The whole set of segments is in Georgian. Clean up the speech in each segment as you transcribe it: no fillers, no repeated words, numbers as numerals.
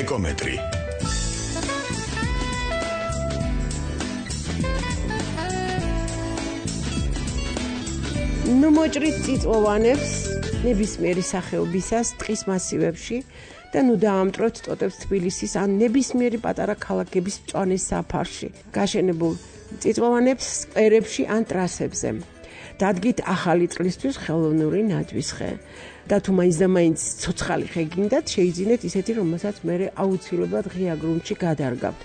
ეკომეტრი. ნუ მოჭრით წიწვოვანებს ნებისმიერი სახეობისას ტყის მასივებში და ნუ დაამტვრევთ ტოტებს თბილისის ან ნებისმიერი პატარა ქალაქების მწვანე საფარში გაშენებულ წიწვოვანებს სკვერებში ან ტრასებზე. დადგით ახალი წლისთვის ხელოვნური ნაძვის ხე და თუ მაინც და მაინც ცოცხალი ხე გინდათ, შეიძინეთ ისეთი, რომელსაც მე აუცილებლად ღია გრუნტში გადარგავთ.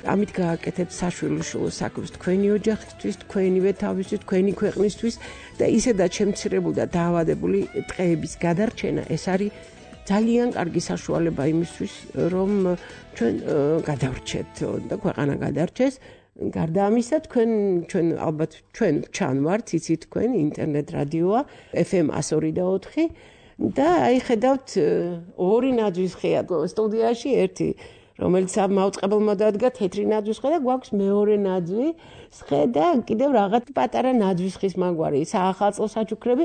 ამით გააკეთებთ საშვილიშვილო საქმეს თქვენი ოჯახისთვის, თქვენივე თავისთვის, თქვენი ქვეყნისთვის და ისედაც შემცირებული და დაავადებული ტყეების გადარჩენა ეს არის ძალიან კარგი საშუალება იმისთვის, რომ ჩვენ გადავრჩეთ და ქვეყანა გადარჩეს. გარდა ამისა, ჩვენ ალბათ ჩვენ ჩანვართ, იცით თქვენ, ინტერნეტ რადიოა, FM 102.4 და აი ხედავთ ორი ნაძვის ხეა სტუდიაში, ერთი რომელიც მაუწყებელმა დადგა თეთრი ნაძვის ხე და გვაქვს მეორე ნაძვის ხე და კიდევ რაღაც პატარა ნაძვის ხის მაგვარი, საახალწლო საჩუქრები,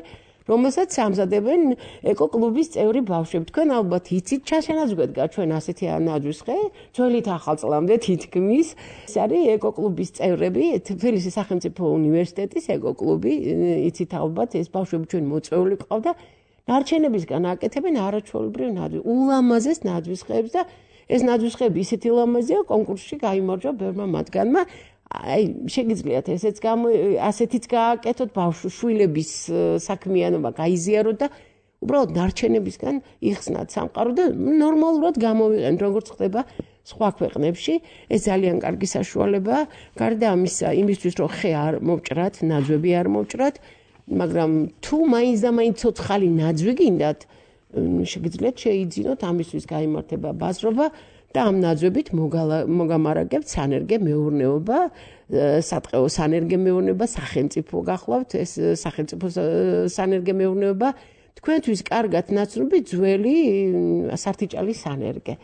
რომელსაც ამზადებენ ეკოკლუბის წევრი ბავშვები. თქვენ ალბათ იცით, ჩაშენაზღვედგა ჩვენ ასეთი ნაძვის ხე, ძველით ახალწლამდე თითქმის. ეს არის ეკოკლუბის წევრები, თბილისის სახელმწიფო უნივერსიტეტის ეკოკლუბი, იცით ალბათ, ეს ბავშვები ჩვენ მოწვეული ყავდა. ნარჩენებისგან აკეთებენ არაჩვეულებრივ ნაძვის, ულამაზეს ნაძვის ხეებს და ეს ნაძვის ხეები ისეთი ლამაზია, კონკურსში გაიმარჯვა ბევრმა მათგანმა. აი, შეგიძლიათ ასეთიც გააკეთოთ, ბავშვების საქმიანობა გაიზიაროთ და უბრალოდ ნარჩენებისგან იხსნათ სამყარო და ნორმალურად გამოვიყენთ, როგორც ხდება სხვა ქვეყნებში. ეს ძალიან კარგი საშუალებაა. გარდა ამისა, იმისთვის რომ ხე არ მოვჭრათ, ნაძვები არ მოვჭრათ, მაგრამ თუ მაინც და მაინც ცოცხალი ნაძვი გინდათ, შეგიძლიათ შეიძინოთ ამისთვის გაიმართება ბაზრობა და ამ ნაძვებით მოგამარაგებთ სანერგე მეურნეობა, სატყეო სანერგე მეურნეობა, სახელმწიფო გახლავთ, ეს სახელმწიფო სანერგე მეურნეობა თქვენთვის კარგად ნაცნობი ძველი სართიჭალის სანერგე.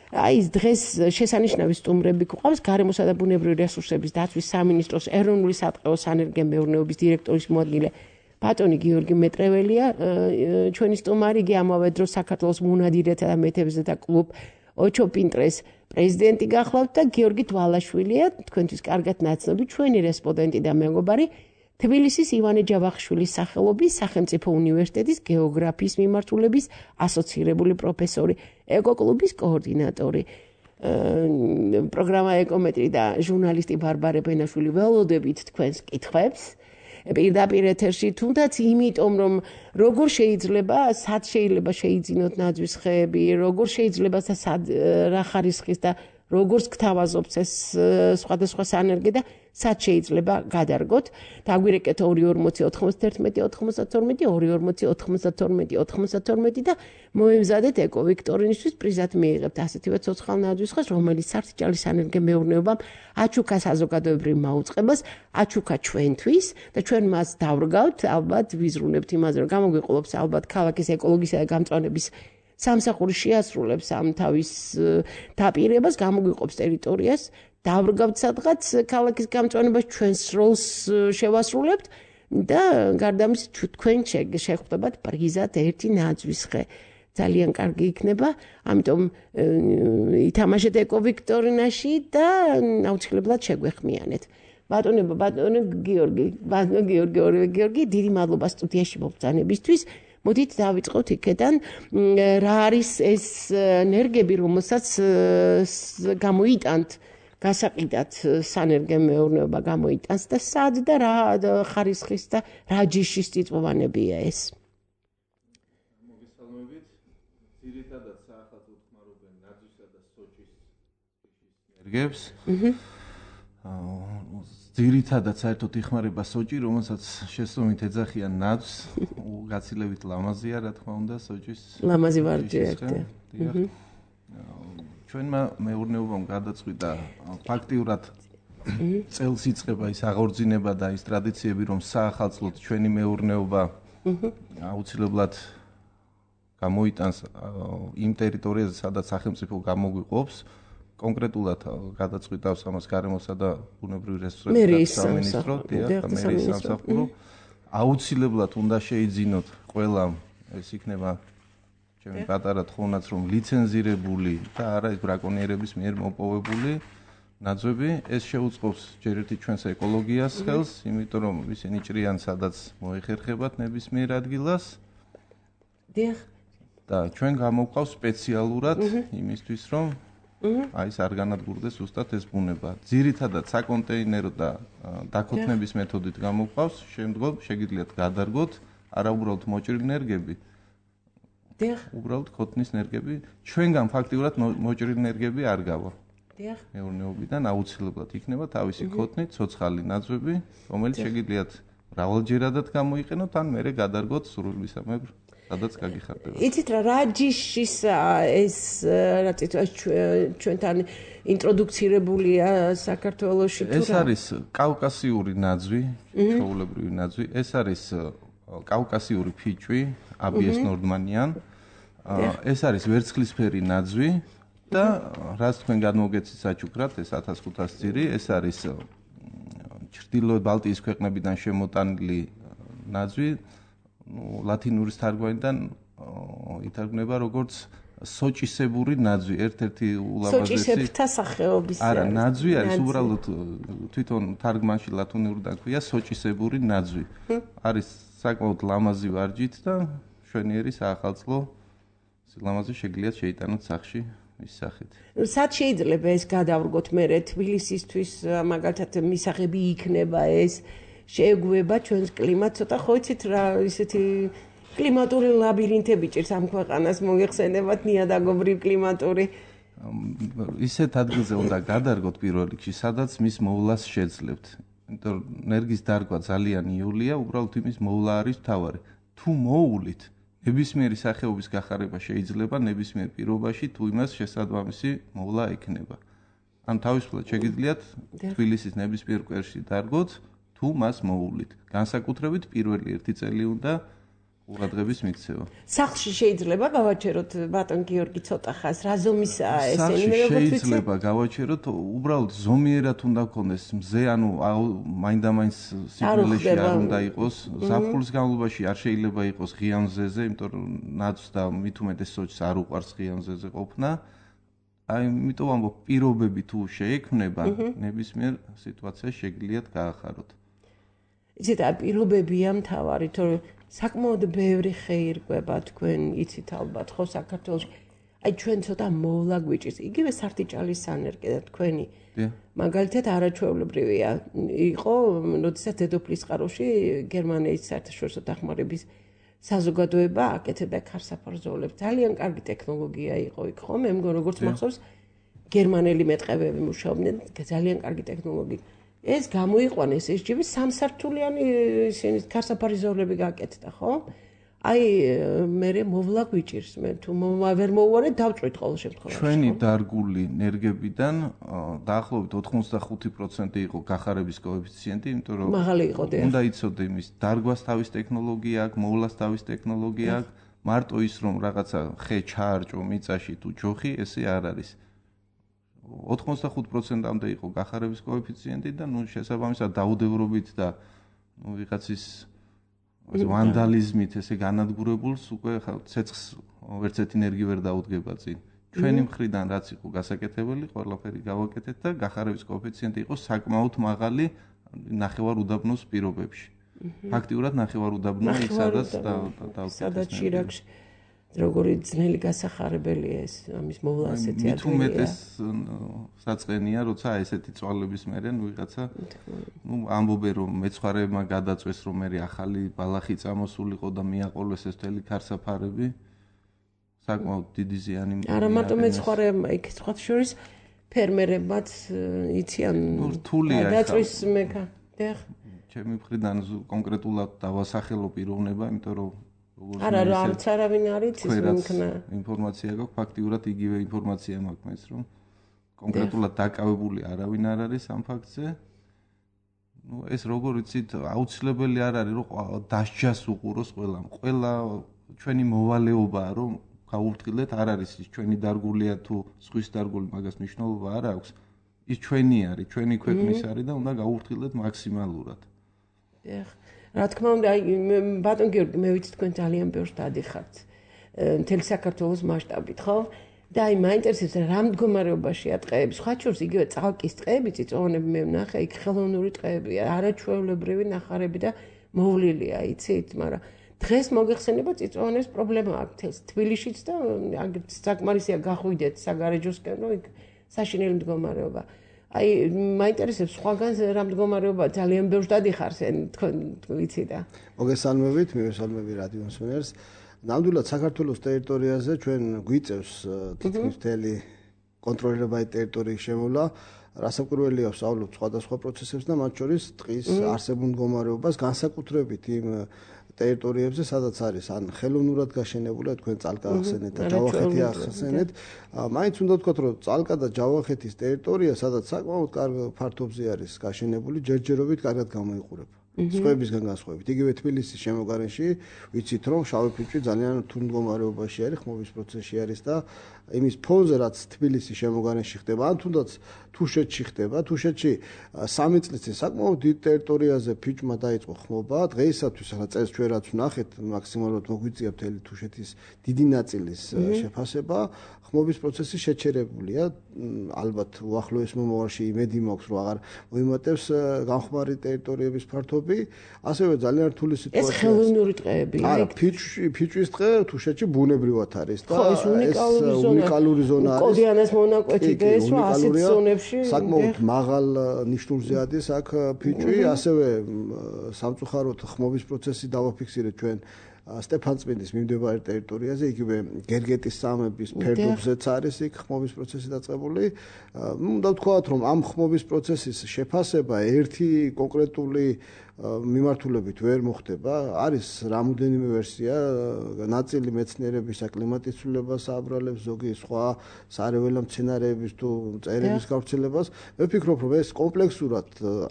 აი დღეს შესანიშნავი სტუმრები გვყავს გარემოსა და ბუნებრივი რესურსების დაცვის სამინისტროს ეროვნული სატყეო სანერგე მეურნეობის დირექტორის მოადგილე ბატონი გიორგი მეტრეველია, ჩვენი სტუმარი, იგი ამავე დროს საქართველოს მონადირეთა და მეთევზეთა კლუბ ოჩოპინტრეს პრეზიდენტი გახლავთ და გიორგი თვალაშვილია, თქვენთვის კარგად ნაცნობი ჩვენი რესპონდენტი და მეგობარი, თბილისის ივანე ჯავახიშვილის სახელობის სახელმწიფო უნივერსიტეტის გეოგრაფიის მიმართულების ასოცირებული პროფესორი, ეკოკლუბის კოორდინატორი. პროგრამა ეკომეტრი და ჟურნალისტი ბარბარე ბენაშვილი ველოდებით თქვენს კითხვებს. პირდაპირ ეთერში, თუნდაც იმიტომ, რომ როგორ შეიძლება, სად შეიძლება შეიძინოთ ნაძვის ხეები, როგორ შეიძლება და სად რა ხარისხის და როგორც გთავაზობთ ეს სხვადასხვა სანერგე და სად შეიძლება გადარგოთ. დაგვირეკეთ 240-92-92 და მოემზადეთ ეკოვიქტორინისთვის პრიზად მიიღებთ ასეთივე ცოცხალ ნაძვის ხეს, რომელიც სართიჭალის სანერგე მეურნეობამ აჩუქა საზოგადოებრივ მაუწყებას, აჩუქა ჩვენთვის და ჩვენ მას დავრგავთ, ალბათ ვიზრუნებთ იმაზე, რომ გამოგვიყოლებს ალბათ ქალაქის ეკოლოგისა და გამწვანების სამსახური შეასრულებს ამ თავის დაპირებას, გამოგვიყოფს ტერიტორიას, დავრგავთ სადღაც ქალაქის გამწვანებას, ჩვენს როლს შევასრულებთ და გარდა ამისა თქვენ შეხვდებათ პრიზად ერთი ნაძვის ხე. ძალიან კარგი იქნება, ამიტომ ითამაშეთ ეკოვიქტორინაში და აუცილებლად შეგვეხმიანეთ. ბატონი გიორგი, დიდი მადლობა სტუდიაში მობრძანებისთვის. მოდით დავიწყოთ იქიდან, რა არის ეს ენერგები, რომელსაც გამოიტანთ, გასაყიდად სანერგე მეურნეობა გამოიტანს და სად და რა ხარისხის და რა ჯიშის წიწვოვანებია ეს. მოგესალმებით. ძირითადად საახალწლო ხმარობენ ნაძვისა და სოჭის ენერგებს. ძირითადად საერთოდ იხმარება სოჭი, რომელსაც შესწომით ეძახიან ნაძვს, გაცილებით ლამაზია, რა თქმა უნდა, სოჭის ლამაზი ვარჯი ერთია. ჩვენმა მეურნეობამ გადაწყვიტა ფაქტიურად წელს იწყება ის აღორძინება და ის ტრადიციები, რომ საახალწლოდ ჩვენი მეურნეობა აუცილებლად გამოიტანს იმ ტერიტორიაზე, სადაც სახელმწიფო გამოგვიყოფს. კონკრეტულად გადაწყვიტავს ამას გარემოსა და ბუნებრივი რესურსების სამინისტრო, მერიის სამსახურო. აუცილებლად უნდა შეიძინოთ ყველა, ეს იქნება ჩემი პატარა თხოვნაც რომ ლიცენზირებული და არა ეს ბრაკონიერების მიერ მოპოვებული ნაძვები, ეს შეუწყობს ჯერ ერთი ჩვენს ეკოლოგიას ხელს, იმიტომ რომ ისინი ჭრიან სადაც მოეხერხებათ ნებისმიერ ადგილას. დიახ. და ჩვენ გამოვყავს სპეციალურად იმისთვის რომ აი ეს არ განადგურდეს ზუსტად ეს ბუნება. ძირითადად საკონტეინერო და დაქოთნების მეთოდით გამოვყავს, შემდგომ შეგიძლიათ გადარგოთ არა უბრალოდ მოჭრილი ნერგები. დიახ. უბრალოდ ქოთნის ნერგები, ჩვენგან ფაქტიურად მოჭრილი ნერგები არ გავა. დიახ. მეურნეობიდან აუცილებლად იქნება თავისი ქოთნი, ცოცხალი ნაძვები, რომელიც შეგიძლიათ მრავალჯერადად გამოიყენოთ, ან მერე გადარგოთ სრულისამებრ, სადაც გაგიხარდება. იცით რა ჯიშის ეს რა წითოს ჩვენთან ინტროდუცირებულია საქართველოში თუ რა? ეს არის კავკასიური ნაძვი, ჩვეულებრივი ნაძვი, ეს არის კავკასიური ფიჭვი, აბიეს ნორდმანიან. ეს არის ვერცხლისფერი ნაძვი და რაც თქვენ გადმოგეცით საჩუქრად, ეს 1500 ძირი, ეს არის ჩრდილოეთ ბალტიის ქვეყნებიდან შემოტანილი ნაძვი, ლათინურის თარგმანიდან ითარგმნება როგორც სოჭისებური ნაძვი, ერთ-ერთი ულამაზესი სოჭისებრთა სახეობის. არა, ნაძვი არის უბრალოდ თვითონ თარგმანში ლათინურიდან ქვია სოჭისებური ნაძვი. არის საკმაოდ ლამაზი ვარჯით და მშვენიერი საახალწლო სილამაზე შეგიძლიათ შეიტანოთ სახში ის სახით. სად შეიძლება ეს გადავრგოთ მერე თბილისისთვის მაგალითად მისაღები იქნება ეს შეეგუება ჩვენს კლიმატს ცოტა ხო იცით რა ისეთი კლიმატური ლაბირინთები ჭირს ამ ქვეყანას მოიხსენებათ ნიადაგობრივ კლიმატური ისეთ ადგილზე უნდა გადარგოთ პირველ რიგში სადაც მის მოვლას შეძლებთ. იმიტომ რომ ნერგის დარგვა ძალიან იოლია, უბრალოდ იმის მოვლა არის მთავარი. თუ მოუვლით ნებისმიერი სახეობის გახარება შეიძლება ნებისმიერ პირობაში თუ იმას შესაძლებელი მოვლა ექნება. ან თავისუფლად შეგიძლიათ თბილისის ნებისმიერ კვერში დარგოთ თუ მას მოუვლით. განსაკუთრებით პირველი 1 წელი უნდა ყურადღების მიქცევა. სახლში შეიძლება გავაჩეროთ ბატონ გიორგი ცოტა ხანს რა ზომისაა ესენი მე როგორც ვიცი შეიძლება გავაჩეროთ უბრალოდ ზომიერად უნდა გქონდეს მზე ანუ მაინდა-მაინც სიგნალში არ უნდა იყოს ზაფხულის განმავლობაში არ შეიძლება იყოს ღია მზეზე იმიტომ რომ ნაძვს და მით უმეტეს სოჭს არ უყვარს ღია მზეზე ყოფნა აი იმიტომ ამბობ პირობები თუ შეექმნება ნებისმიერ სიტუაციაში შეგიძლიათ გაახაროთ იცით პირობებია მთავარი თორე საკმაოდ ბევრი ხე ირკვება თქვენ იცით ალბათ ხო საქართველოში აი ჩვენ ცოტა მოვლა გვიჭირს იგივე სარტიჭალის სანერგე და თქვენი მაგალითად არაჩვეულებრივია იყო როდესაც დედოფლის წყაროში გერმანიის საერთაშორისო დახმარების საზოგადოება აკეთებდა ქარსაფარზოლებს ძალიან კარგი ტექნოლოგია იყო იქ ხო მე მგონი როგორც მახსოვს გერმანელი მეტყევები მუშაობდნენ ძალიან კარგი ტექნოლოგია ეს გამოიყვანეს ეს ჯიბი სამსართულიანი ისინი ქარსაფარზოლები გააკეთდა ხო? აი მე მოვლა გვიჭირს მე თუ ვერ მოვუარეთ დავწვით ყოველ შემთხვევაში. ჩვენი დარგული ნერგებიდან დაახლოებით 85% იყო გახარების კოეფიციენტი, იმიტომ რომ მაღალი იყო და უნდა იცოდე იმის დარგვას თავის ტექნოლოგია აქვს, მოვლას თავის ტექნოლოგია აქვს, მარტო ის რომ რაღაცა ხე ჩაარჭო მიწაში თუ ჯოხი, ესე არ არის. 85%-მდე იყო გახარების კოეფიციენტი და ნუ შესაბამისად დაუდევრობით და ნუ ვიღაცის ვანდალიზმით ესე განადგურებულს უკვე ცეცხლს ვერც ერთი ნერგი ვერ დაუდგება წინ. ჩვენი მხრიდან რაც იყო გასაკეთებელი, ყველაფერი გავაკეთეთ და გახარების კოეფიციენტი იყო sakmaut მაღალი ნახევარ უდაბნოს პირობებში. ფაქტიურად ნახევარ უდაბნო ის სადაც შირაკში როგორი ძნელი გასახარებელია ეს ამის მოვლა ასეთი ადგილია. მით უმეტეს საწყენია, როცა ესეთი წვალების მერე ვიღაცა ნუ ამბობენ რომ მეცხვარეებმა გადაწვეს რომ მე ახალი ბალახი წამოსულიყო და მიაყოლეს ეს მთელი ქარსაფარები. საკმაოდ დიდი ზიანი. არა მარტო მეცხვარეებმა, იქ სხვა შორის ფერმერებმაც იციან გადაწვის მეკა. დიახ. ჩემი მხრიდან კონკრეტულად დავასახელო პიროვნება, იმიტომ რომ არა რა არც არავინ არ იცის მქნა ინფორმაცია გაქვს ფაქტიურად იგივე ინფორმაცია მაქვს მეც რომ კონკრეტულად დაკავებული არავინ არ არის ამ ფაქტზე ნუ ეს როგორ იცით აუცილებელი არ არის რომ დასჯას უყუროს ყველამ ყველა ჩვენი მოვალეობაა რომ გაუვრთხილდეთ არ არის ის ჩვენი დარგულია თუ სხვის დარგული მაგას მნიშვნელობა არ აქვს ის ჩვენი არის ჩვენი ქვეყნის არის და უნდა გაუვრთხილდეთ მაქსიმალურად დიახ რა თქმა უნდა, ბატონ გიორგი, მე ვიცი თქვენ ძალიან ბევრს დადიხართ. მთელი საქართველოს მასშტაბით, ხო? და აი მაინტერესებს რა მდგომარეობაშია ტყეები. სხვა შორის იგივე წალკის ტყეები, წიწვოვანები მე ვნახე, იქ ხელოვნური ტყეებია, არაჩვეულებრივი ნახარები და მოვლილია, იცით, მაგრამ დღეს მოგეხსენება წიწვოვანების პრობლემა აქვს თბილისშიც და საკმარისია გახვიდეთ საგარეჯოსკენ, რომ იქ საშინელი მდგომარეობა. აი მაინტერესებს სხვაგან რა მდგომარეობა ძალიან ბევრ დადიხარ თქვენ ვიცი და მოგესალმებით, მივესალმები რადიო მსმენელს. ნამდვილად საქართველოს ტერიტორიაზე ჩვენ გვიწევს თითქმის მთელი კონტროლირებადი ტერიტორიის შემოვლა. რასაკვირველია ვსაუბრობთ სხვადასხვა პროცესებს და მათ შორის ტყის არსებულ მდგომარეობას განსაკუთრებით იმ ტერიტორიებზე, სადაც არის ან ხელოვნურად გაშენებული, თქვენ წალკა ახსენეთ და ჯავახეთი ახსენეთ. მაინც უნდა ვთქვათ, რომ წალკა და ჯავახეთის ტერიტორია, სადაც საკმაოდ კარგ ფართობზე არის გაშენებული, ჯერჯერობით კარგად გამოიყურება. სხვებისგან განსხვავებით. იგივე თბილისის შემოგარენში ვიცით, რომ შავი ფიჭვი ძალიან რთულ მდგომარეობაში არის, ხმობის პროცესში არის და იმის ფონზე, რაც თბილისის შემოგარენში ხდება, ან თუნდაც თუშეთში ხდება, თუშეთში 3 წლის წინ საკმაოდ დიდ ტერიტორიაზე ფიჭვმა დაიწყო ხმობა. დღეისათვის ახლა წელს ჩვენ რაც ვნახეთ, მაქსიმალურად მოგვიწია მთელი თუშეთის დიდი ნაწილის შეფასება. ხმობის პროცესი შეჩერებულია. ალბათ უახლოეს მომავალში იმედი მაქვს, რომ აღარ მოიმატებს განხმარი ტერიტორიების ფართობი. ასევე ძალიან რთული სიტუაცია. ეს ხელოვნური ტყეებია. არა, ფიჭვის ტყე თუშეთში ბუნებრივად არის და ეს უნიკალური ზონა არის. კოდიანას მონაკვეთი და ეს რა ასეთ ზონებში საკმაოდ მაღალ ნიშნულზე ადის აქ ფიჭვი, ასევე სამწუხაროდ ხმობის პროცესი დავაფიქსირეთ ჩვენ სტეფანწმინდის მიმდებარე ტერიტორიაზე, იგივე გერგეტის სამების ფერდობზეც არის იქ ხმობის პროცესი დაწყებული. უნდა ვთქვათ, რომ ამ ხმობის პროცესის შეფასება ერთი კონკრეტული მიმართულებით ვერ მოხდება. არის რამოდენიმე ვერსია, ნაწილი მეცნიერებისა კლიმატის ცვლილებას აბრალებს, ზოგი სხვა სარეველა მცენარეების თუ მწერების გავრცელებას. მე ვფიქრობ, რომ ეს კომპლექსურად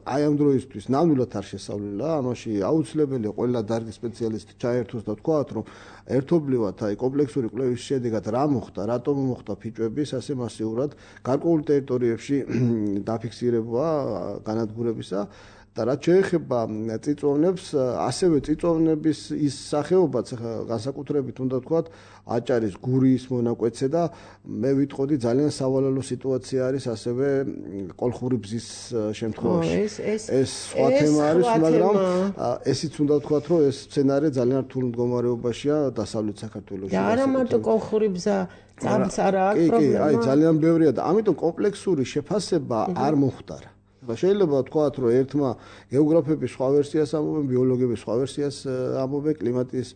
აი ამ დროისთვის ნამდვილად არ შესავლილა. ამაში აუცილებელია ყველა დარგის სპეციალისტი ჩაერთოს და ვთქვათ, რომ ერთობლივად აი კომპლექსური კვლევის შედეგად რა მოხდა, რატომ მოხდა ფიჭვების ასე მასიურად გარკვეულ ტერიტორიებში დაფიქსირება განადგურებისა. და რაც შეეხება წიწვოვნებს, ასევე წიწვოვნების ის სახეობაც განსაკუთრებით უნდა ვთქვათ, აჭარის გურიის მონაკვეთზე და მე ვიტყოდი ძალიან სავალალო სიტუაცია არის ასევე კოლხური ბზის შემთხვევაში. ეს სხვა თემა არის, მაგრამ ესიც უნდა ვთქვათ, რომ ეს სცენარი ძალიან რთულ მდგომარეობაშია დასავლეთ საქართველოში. და არა მარტო კოლხური ბზა, წამც არა აქვს პრობლემა. აი ძალიან ბევრია და ამიტომ კომპლექსური შეფასება არ მოხდარა. შეიძლება ვთქვათ, რომ ერთმა გეოგრაფები სხვა ვერსიას ამბობენ, ბიოლოგები სხვა ვერსიას ამბობენ, კლიმატის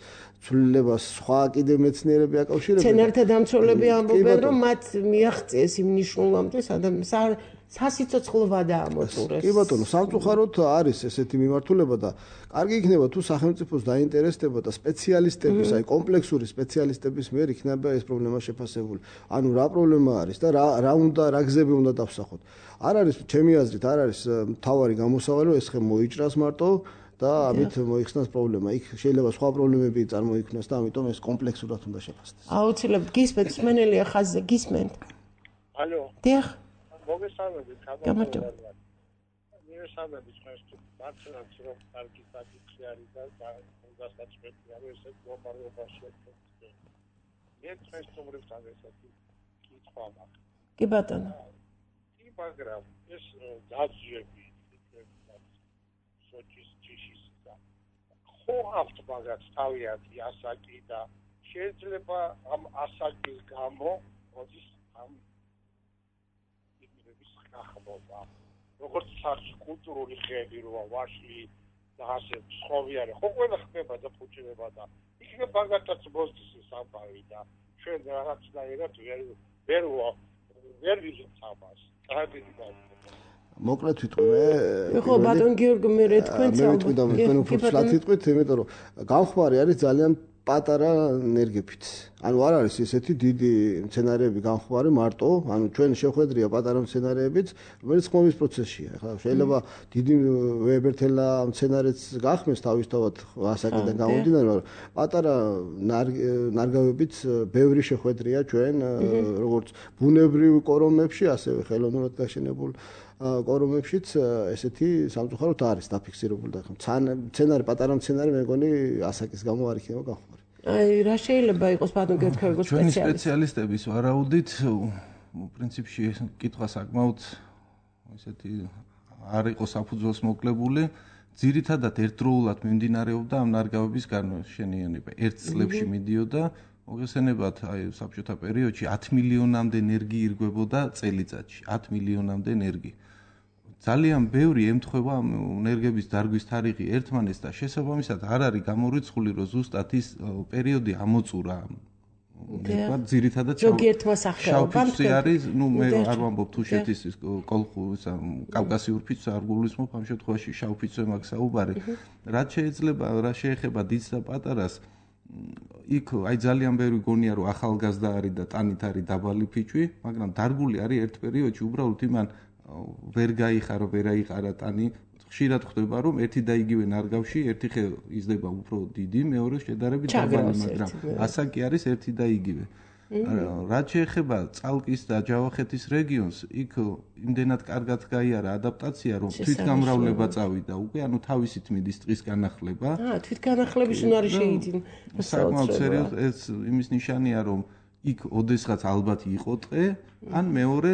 ცვლილებას სხვა კიდევ მეცნიერები აკავშირებენ. მცენარეთა დამცველები ამბობენ, რომ მათ მიაღწიეს იმ ნიშნულამდე სასიცოცხლო ვადა ამოწურეს. კი ბატონო, სამწუხაროდ არის ესეთი მიმართულება და კარგი იქნება თუ სახელმწიფოს დაინტერესდება და სპეციალისტების, აი კომპლექსური სპეციალისტების მიერ იქნება ეს პრობლემა შეფასებული. ანუ რა პრობლემა არის და რა უნდა, რა გზები უნდა დავსახოთ. არ არის ჩემი აზრით, არ არის მთავარი გამოსავალი, რომ ეს ხე მოიჭრას მარტო და ამით მოიხსნას პრობლემა. იქ შეიძლება სხვა პრობლემები წარმოიქმნას და ამიტომ ეს კომპლექსურად უნდა შეფასდეს. აუცილებლად გისმენთ, სმენელია ხაზზე, გისმენთ. ალო. დიახ. მოგესალმებით, გამარჯობა. მივესალმებით თქვენს მართლაც რომ კარგი საკითხი არის და გასაჭიროებია რომ ესე მდგომარეობაშია თქვენ. მე თქვენს თუმრებთან ესეთი კითხვა მაქვს. კი ბატონო. კი, მაგრამ ეს დაძიები სოჭის ჯიშის და ხო აქვთ მაგაც თავიანთი ასაკი და შეიძლება ამ ასაკის გამო მოდის ამ ახმობა. როგორც საერთო კულტურული ხეები როა ვაშლი და ასე სხვავი არის. ხო ყველა ხდება და ფუჭდება და იქნება ბაგატაც მოსდის სამყარო და ჩვენ რაღაცნაირად ვერ ვიზით ამას. ტრაგედია. მოკლედ ვიტყვი მე. ხო ბატონ გიორგი მე თქვენც ალბათ. მე ვიტყვი და თქვენ უფრო ფლად ვიტყვით, იმიტომ რომ განხმარი არის ძალიან პატარა ენერგიებით. ანუ არ არის ესეთი დიდი მცენარეები განხმარი მარტო, ანუ ჩვენ შეხვედრია პატარა მცენარეებიც, რომელიც ხმობის პროცესშია. ახლა შეიძლება დიდი ვებერთელა მცენარეც გახმეს თავისთავად ასაკიდან გამომდინარე, მაგრამ პატარა ნარგავებით ბევრი შეხვედრია ჩვენ როგორც ბუნებრივ კორომებში, ასევე ხელოვნურად გაშენებულ კორომებშიც ესეთი სამწუხაროდ არის დაფიქსირებული და მცენარე პატარა მცენარე მე მგონი ასაკის გამო არ იქნება განხმარი. აი რა შეიძლება იყოს ბატონ გეთქვევიგო სპეციალისტები. ჩვენი სპეციალისტების ვარაუდით პრინციპში კითხვა საკმაოდ ესეთი არ იყო საფუძველს მოკლებული. ძირითადად ერთდროულად მიმდინარეობდა ამ ნარგავების განშენიანება. ერთ წლებში მიდიოდა მოგესალმებათ აი საბჭოთა პერიოდში 10 მილიონამდე ენერგი ირგვებოდა წელიწადში 10 მილიონამდე ენერგი. ძალიან ბევრი ემთხვევა ენერგების დარგვის თარიღი ერთმანეთს და შესაბამისად არ არის გამორიცხული რომ ზუსტად ის პერიოდი ამოწურა. თქვა ძირითადად შავფიცი არის, ნუ მე არ ვამბობ თუშეთის კოლხურის კავკასიურ ფიცს არ გულისხმობ ამ შემთხვევაში შავფიცზე მაგ საუბარი. რაც შეეხება დიდს და პატარას იქ აი ძალიან ბევრი გონია რომ ახალგაზრდა არის და ტანით არის დაბალი ფიჭვი, მაგრამ დარგული არის ერთ პერიოდში უბრალოდ იმან ვერ გაიხარო, ვერ აიყარა ტანი. ხშირად ხდება რომ ერთი და იგივე ნარგავში ერთი ხე იზრდება უფრო დიდი, მეორე შედარებით დაბალი, მაგრამ ასაკი არის ერთი და იგივე. რაც შეეხება წალკის და ჯავახეთის რეგიონს, იქ იმდენად კარგად გაიარა ადაპტაცია, რომ თვითგამრავლება წავიდა უკვე, ანუ თავისით მიდის ტყის განახლება. თვითგანახლების უნარი შეიძინა. საკმაოდ სერიოზული ეს იმის ნიშანია, რომ იქ ოდესღაც ალბათ იყო ტყე, ან მეორე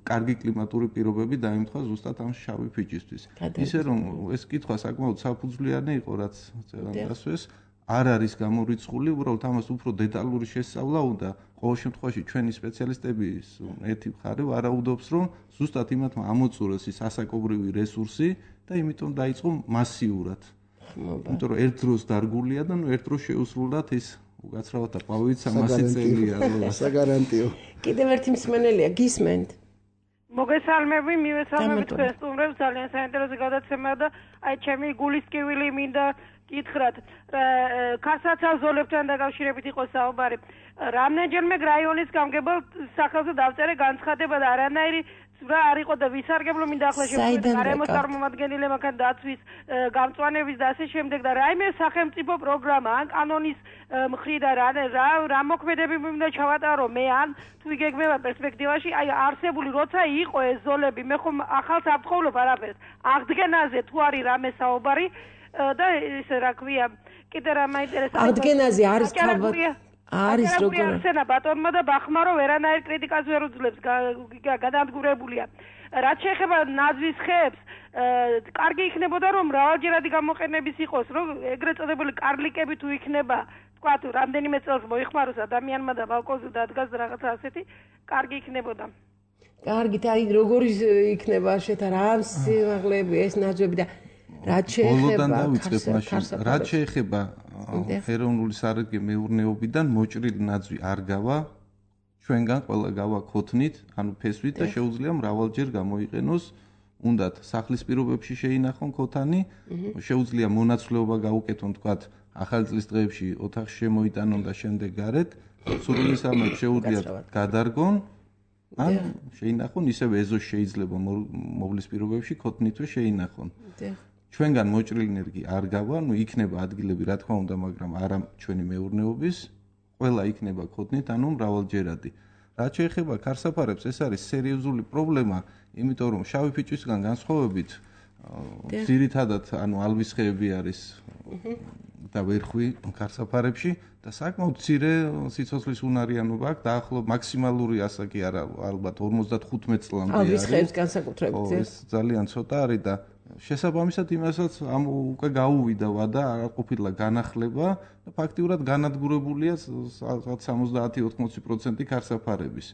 კარგი კლიმატური პირობები დაემთხვა ზუსტად ამ შავი ფიჭისთვის. ისე რომ ეს კითხვა საკმაოდ საფუძვლიანი იყო, რაც წერან დასვეს, არ არის გამორიცხული, უბრალოდ ამას უფრო დეტალური შესწავლა უნდა. ყოველ შემთხვევაში ჩვენი სპეციალისტების ერთი მხარე ვარაუდობს, რომ ზუსტად იმათმა ამოწურეს ის ასაკობრივი რესურსი და იმიტომ დაიწყო მასიურად. იმიტომ რომ ერთ დროს დარგულია და ნუ ერთ დროს შეუსრულდათ ის უკაცრავად და პავით 300 წელია საგარანტიო. კიდევ ერთი მსმენელია, გისმენთ. მოგესალმები, მივესალმებით თქვენ სტუმრებს, ძალიან საინტერესო გადაცემა და აი ჩემი გულისკივილი მინდა გითხრათ, ქარსაცა ზოლებთან დაკავშირებით იყო საუბარი. რამდენჯერმე რაიონის გამგებელ სახელზე დავწერე განცხადება და არანაირი რა არ იყო და ვისარგებლო მინდა ახლა შემოგვიდგა გარემოს წარმომადგენელი მაგან დაცვის გამწვანების და ასე შემდეგ და რაიმე სახელმწიფო პროგრამა ან კანონის მხრიდან რა მოქმედებები მინდა ჩავატარო მე ან თუ იგეგმება პერსპექტივაში აი არსებული როცა იყო ეს ზოლები მე ხომ ახალს არ ვთხოვლობ არაფერს აღდგენაზე თუ არის რამე საუბარი და ისე რა ქვია კიდე რა მაინტერესებს აღდგენაზე არის თავად არის როგორ ახსენა ბატონმა და ბახმარო ვერანაირ კრიტიკას ვერ უძლებს გადადგურებულია რაც შეეხება ნაძვის ხეებს კარგი იქნებოდა რომ მრავალჯერადი გამოყენების იყოს რომ ეგრეთ წოდებული კარლიკები თუ იქნება თქვა თუ რამდენიმე წელს მოიხმაროს ადამიანმა და ბალკონზე დადგას რაღაცა ასეთი კარგი იქნებოდა კარგით აი როგორი იქნება შეთა რა სიმაღლეები ეს ნაძვები და რაც შეეხება ეროვნული სარეგე მეურნეობიდან მოჭრილი ნაძვი არ გავა ჩვენგან ყველა გავა ქოთნით ანუ ფესვით და შეუძლია მრავალჯერ გამოიყენოს უნდათ სახლის პირობებში შეინახონ ქოთანი შეუძლია მონაცვლეობა გაუკეთონ თქვათ ახალი წლის დღეებში ოთახში შემოიტანონ და შემდეგ გარეთ სურვილისამებრ შეუძლია გადარგონ ან შეინახონ ისევ ეზოში შეიძლება მოვლის პირობებში ქოთნითვე შეინახონ ჩვენგან მოჭრილი ენერგი არ გავა, ნუ იქნება ადგილები, რა თქმა უნდა, მაგრამ არა ჩვენი მეურნეობის, ყველა იქნება ქოთნით, ანუ მრავალჯერადი. რაც შეეხება ქარსაფარებს, ეს არის სერიოზული პრობლემა, იმიტომ რომ შავი ფიჭვისგან განსხვავებით, ძირითადად, ანუ ალბის ხეები არის და ვერხვი ქარსაფარებში და საკმაოდ მცირე სიცოცხლის უნარიანობა აქვს, დაახლოებით მაქსიმალური ასაკი არა, ალბათ 55 წლამდე არის. ალბის ხეებს განსაკუთრებით, ეს ძალიან ცოტა არის და შესაბამისად იმასაც უკვე გაუვიდა ვადა არ ყოფილა განახლება და ფაქტიურად განადგურებულია 70-80% ქარსაფარების.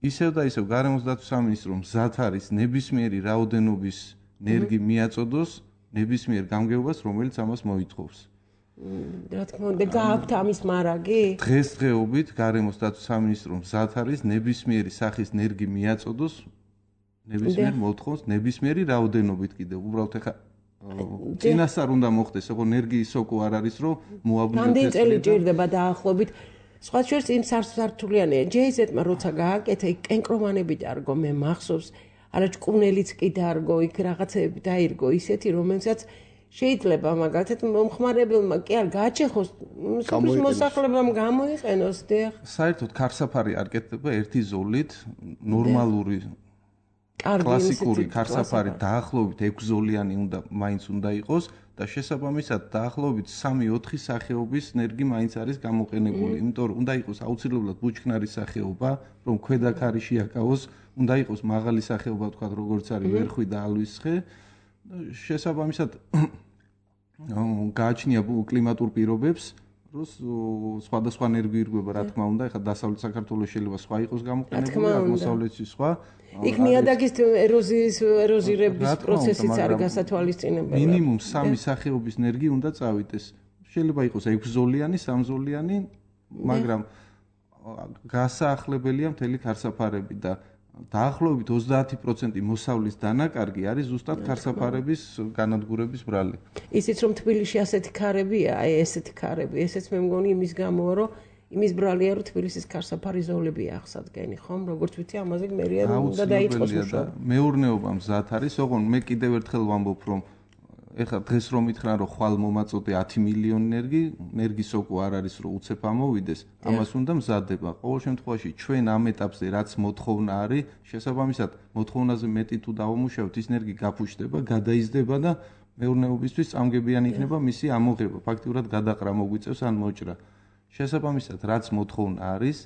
ისევ და ისევ გარემოს დაცვის სამინისტრო მზად არის ნებისმიერი რაოდენობის ენერგი მიაწოდოს ნებისმიერ გამგეობას, რომელიც ამას მოითხოვს. რა თქმა უნდა, გააქვთ ამის მარაგი? დღესდღეობით გარემოს დაცვის სამინისტრო მზად არის ნებისმიერი სახის ენერგი მიაწოდოს ნებისმიერ მოთხოვს ნებისმიერი რაოდენობით კიდევ უბრალოდ ეხა წინასწარ უნდა მოხდეს ხო ენერგიის სოკო არ არის რომ მოაბუნდეს რამდენი წელი ჭირდება დაახლოებით სხვა შორის იმ სართულიანია ჯეიზეტმა როცა გააკეთა იქ კენკრომანები დარგო მე მახსოვს არა ჭკუნელიც კი დარგო იქ რაღაცები დაირგო ისეთი რომელსაც შეიძლება მაგალითად მომხმარებელმა კი არ გააჩეხოს სოფლის მოსახლებამ გამოიყენოს დიახ საერთოდ ქარსაფარი არ კეთდება ერთი ზოლით ნორმალური კლასიკური ქარსაფარი დაახლოებით 6 ზოლიანი მაინც უნდა იყოს და და შესაბამისად დაახლოებით 3-4 სახეობის ნერგი მაინც არის გამოყენებული. იმიტომ რომ უნდა იყოს აუცილებლად ბუჩქნარის სახეობა, რომ ქვედა ქარიში აკავოს, უნდა იყოს მაღალი სახეობა, თქვათ, როგორც არის ვერხვი და ალვისხე. შესაბამისად გააჩნია კლიმატურ პირობებს, რომ სხვადასხვა ნერგი ირგვება, რა თქმა უნდა, ეხლა დასავლეთ საქართველოს შეიძლება სხვა იყოს გამოყენებული, აღმოსავლეთში სხვა. იქ ნიადაგის ეროზირების პროცესიც არის გასათვალისწინებელი. მინიმუმ 3 სახეობის ნერგი უნდა წავიდეს. შეიძლება იყოს 6-ზოლიანი, 3-ზოლიანი, მაგრამ გასაახლებელია მთელი ქარსაფარები და დაახლოებით 30% მოსავლის დანაკარგი არის ზუსტად ქარსაფარების განადგურების ბრალი. ისიც რომ თბილისში ასეთი ქარებია, ესეთი ქარები, ესეც მე მგონი იმის გამოა, რომ იმის ბრალია, რომ თბილისის ქარსაფარი ზოლები აღსადგენი, ხომ? როგორც ვიცი, ამაზე მერია უნდა დაიწყოს მუშაობა. მეურნეობა მზად არის, ოღონდ მე კიდევ ერთხელ ვამბობ, რომ ეხლა დღეს რომ მითხრან, რომ ხვალ მომაწოდე 10 მილიონი ნერგი სოკო არ არის, რომ უცებ ამოვიდეს, ამას უნდა მზადება. ყოველ შემთხვევაში ჩვენ ამ ეტაპზე რაც მოთხოვნა არის, შესაბამისად მოთხოვნაზე მეტი თუ დავამუშავებთ, ის ნერგი გაფუჭდება, გადაიზრდება და მეურნეობისთვის წამგებიანი იქნება მისი ამოღება. ფაქტიურად გადაყრა მოგვიწევს ან მოჭრა. შესაბამისად, რაც მოთხოვნა არის,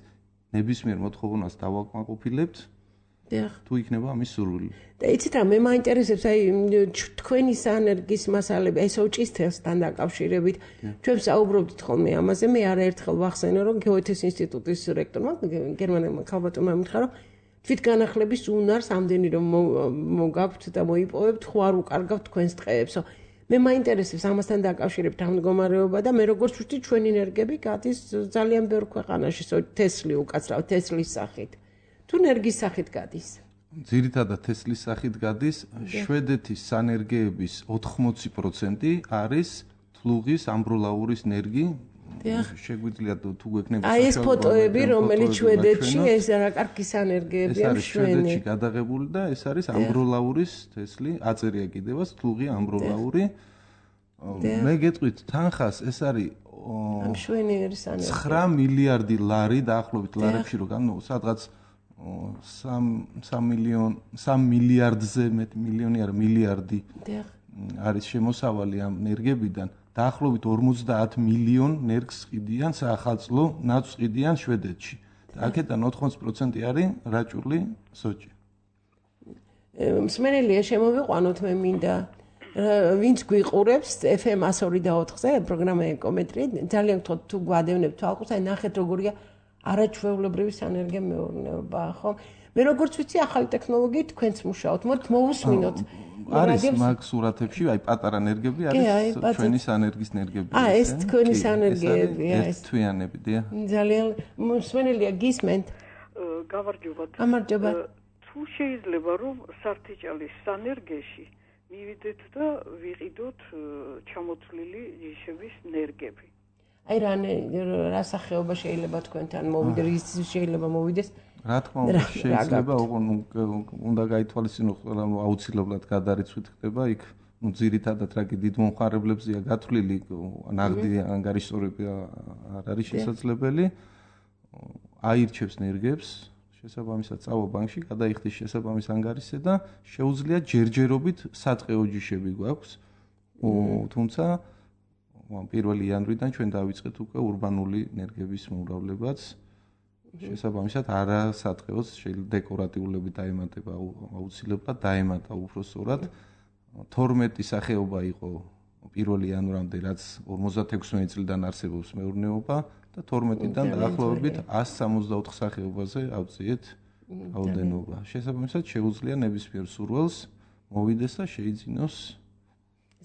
ნებისმიერ მოთხოვნას დავაკმაყოფილებთ. თუ იქნება ამის სურვილი. და იცით რა, მე მაინტერესებს აი თქვენი საენერგის მასალები, აი სოჭის თესთან დაკავშირებით. ჩვენ საუბრობდით ხოლმე ამაზე, მე არაერთხელ ვახსენე, რომ გეოთეს ინსტიტუტის რექტორმა, გერმანელმა ქალბატონმა მითხრა, რომ თვითგანახლების უნარს ამდენი რომ მოგაქვთ და მოიპოვებთ, ხო არ უკარგავთ თქვენს ტყეებსო. მე მაინტერესებს ამასთან დაკავშირებით ამ მდგომარეობა და მე როგორც ვთქვი, ჩვენი ენერგები გადის ძალიან ბევრ ქვეყანაში, თესლი უკაცრავ, თესლის სახით. თუ ნერგის სახით გადის? ძირითადად თესლის სახით გადის. შვედეთის სანერგეების 80% არის თლუღის ამბროლაურის ნერგი. შეგვიძლია თუ გვექნება აი ეს ფოტოები, რომელიც შვედეთში ეს რა კარგი სანერგეებია შვენი. ეს არის შვედეთში გადაღებული და ეს არის ამბროლაურის თესლი, აწერია კიდევაც თლუღი ამბროლაური. მე გეტყვით თანხას ეს არის ამ შვენიერი სანერგები. 9 მილიარდი ლარი დაახლოებით ლარებში რო განო სადღაც 3 მილიარდზე მეტი მილიონი არა მილიარდი არის შემოსავალი ამ ნერგებიდან. დაახლოებით 50 მილიონ ნერგს ყიდიან საახალწლო ნაძვს ყიდიან შვედეთში. აქედან 80% არის რაჭული სოჭი. მსმენელია შემოვიყვანოთ მე მინდა ვინც გვიყურებს FM 102.4-ზე პროგრამა ეკომეტრი ძალიან გთხოვთ თუ გვადევნებთ თვალყურს აი ნახეთ როგორია არაჩვეულებრივი სანერგე მეურნეობა ხო მე როგორც ვიცი ახალი ტექნოლოგიით თქვენც მუშაობთ მოდით მოვუსმინოთ არის მაგ სურათებში აი პატარა ნერგები არის ჩვენი სანერგის ნერგები ეს თქვენი სანერგეებია ეს თვიანები დია ძალიან მსმენელია გისმენთ გამარჯობა თუ შეიძლება რომ სარტიჭალის სანერგეში მივიდეთ და ვიყიდოთ ჩამოთვლილი ჯიშების ნერგები. აი რა სახეობა შეიძლება თქვენთან მოვიდეს, ის შეიძლება მოვიდეს? რა თქმა უნდა, შეიძლება, უნდა გაითვალისწინოთ, რომ აუცილებლად გადარიცხვით ხდება იქ, ძირითადად რაგი დიდ მომხმარებლებზეა გათვლილი, ნაღდი ანგარიშსწორები არ არის შესაძლებელი. აირჩევს ნერგებს შესაბამისად წავა ბანკში, გადაიხდის შესაბამის ანგარიშზე და შეუძლია ჯერჯერობით სატყეო ჯიშები გვაქვს. თუმცა 1 იანვრიდან ჩვენ დავიწყეთ უკვე урბანული ნერგების მომრავლებაც. შესაბამისად არა სატყეოს შეიძლება დეკორატიულები დაემატება აუცილებლად დაემატა უფრო სწორად. 12 სახეობა იყო 1 იანვრამდე რაც 56 წლიდან არსებობს მეურნეობა. და 12-დან დაახლოებით 164 სახეობაზე ავწიეთ რაოდენობა. შესაბამისად შეუძლია ნებისმიერ სურვილს მოვიდეს და შეიძინოს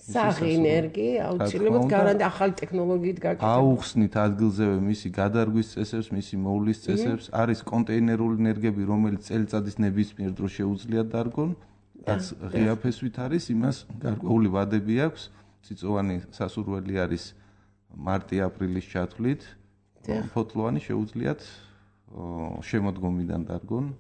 სახი ენერგი აუცილებლად გარანტი ახალი ტექნოლოგიით გაკეთება. აუხსნით ადგილზევე მისი გადარგვის წესებს, მისი მოვლის წესებს, არის კონტეინერული ენერგები, რომელიც წელიწადის ნებისმიერ დროს შეუძლია დარგონ, რაც ღია ფესვით არის, იმას გარკვეული ვადები აქვს. წიწოვანი სასურველი არის მარტი-აპრილის ჩათვლით. ფოთლოვანი შეუძლიათ შემოდგომიდან დარგონ.